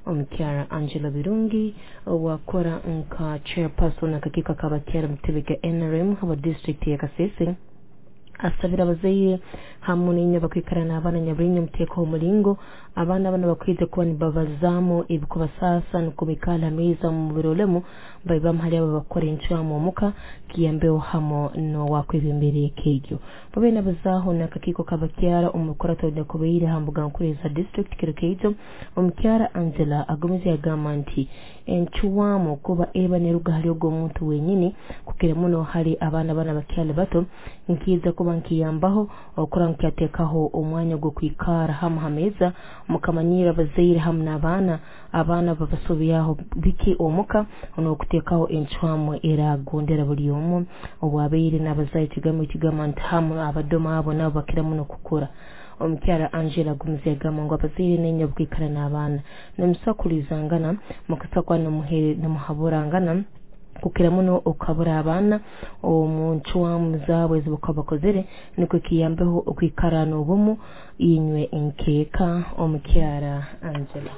Omukyara Angela Birungi owakora nka chairperson akakiiko k'abakyara mu kitebe kya NRM aba district ya Kasese asabira abazaire hamu n'inywe bakwikara n'abaana nyaburinyo muteekaho omulingo abaana bano bakwija kuba nibabazaamu ebikubasaasa nukwo baikale ha meeza mu birolemu baibamu hali abo bakukora encwamu omuka kiyambeho hamu n'owakwebembera eka egyo. Babaire nabazaaho n'akakiiko k'abakyara omu rukurato runyakubaire ha mbuga nkuru eza district kiro keijo. Omukyara Angela agumize yagamba nti encwamu kuba eba neruga hali ogwo omuntu wenyini kukira muno hali abaana bano abakyali bato nkiiza kuba nkiyambaho okura nkyateekaho omwanya gw'okwikara hamu ha meeza mukamanyira abazaire hamu n'abaana abaana babasobyaho biki omuka n'okuteekaho encwamu eragondera buli omu obwabaire n'abazaire ekigambo ekigamba nti hamu abadoma abo nabo bakira muno kukura. Omukyara Angela agumize yagamba ngu abazaire n'inywe obukwikara n'abaana nimusakulizangana mukasakwa nimuhaburangana kukira muno okuhabura abaana omu ncwamu zaabo ezi bakuba bakozere nikwo kiyambeho okwikara n'obumu inywe nkeeka. Omukyara Angela.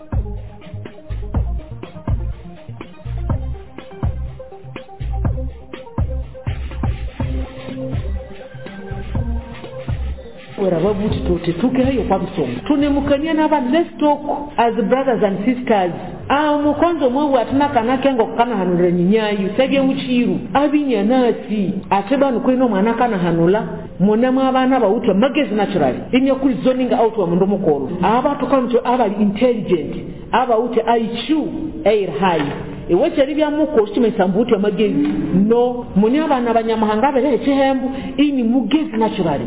Orababuti tutetukeyo kwa msomo tunemukania n'abantu. Let's talk as brothers and sisters. Mukonzo mwewe atina kana kengo kana hanula nyinyayu sebye muchiru abinyanasi ate banu kwino mwana kana hanula munemu abaana bawutwa magezi naturally inye kuli zoning out wa mundu mukoro abantu kantu abali intelligent abawute IQ air high iweche libya muko shimesa mbuti amagezi no muni abaana abanyamahanga bere ekihembu ini mugezi naturally.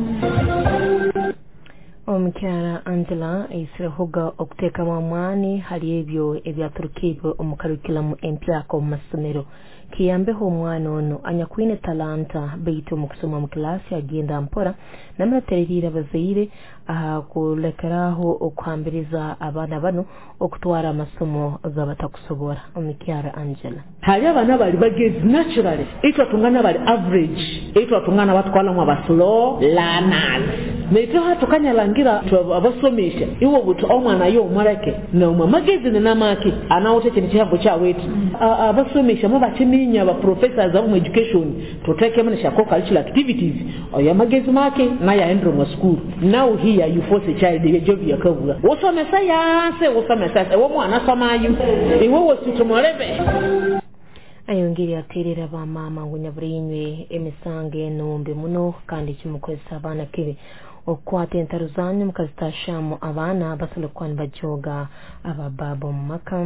Omukyara Angela aisirehoga okuteekamu amaani hali ebyo ebyaturukibwe omu curriculum empyaka omu masomero kiyambeho omwana ono anyakwine talanta baitu omu kusoma mu kilaasi agenda mpora namuratereriire abazaire kulekeraho okuhambiriza abaana bano okutwara amasomo gabatakusobora. Omukyara Angela. Hali abaana bali bagezi naturally itwa tungana bali average itwa tungana batwala aba slow learners neitwe hatukanyalangira abasomesha iwo buti omwana yo omuleke nomwe magezi ninamaki anawute kintu kihango kyawetu abasomesha mu bakiminya aba professors abo mu education tutekemu ne curricular activities oya magezi make naye aendro mu school. Now here you force a child ye job yakabura wosomesa yanse wosomesa ewo mwana somayo iwe wositumolebe. Ayongere aterera bamama ngu nyabulinywe emisango enombe muno kandi kimukozesa abaana kibi okukwata entaro zanyu mukazitashamu abaana basobola kuba nibajoga abababa omu maka.